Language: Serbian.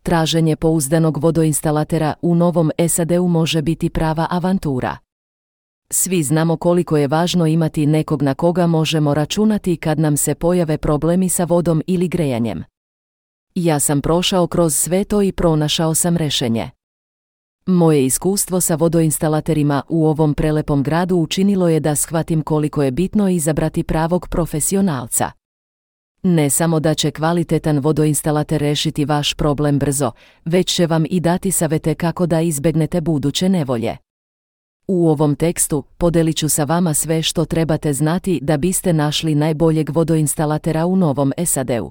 Traženje pouzdanog vodoinstalatera u Novom SAD-u može biti prava avantura. Svi znamo koliko je važno imati nekog na koga možemo računati kad nam se pojave problemi sa vodom ili grejanjem. Ja sam prošao kroz sve to i pronašao sam rješenje. Moje iskustvo sa vodoinstalaterima u ovom prelepom gradu učinilo je da shvatim koliko je bitno izabrati pravog profesionalca. Ne samo da će kvalitetan vodoinstalater rešiti vaš problem brzo, već će vam i dati savete kako da izbegnete buduće nevolje. U ovom tekstu podelit ću sa vama sve što trebate znati da biste našli najboljeg vodoinstalatera u Novom SAD-u.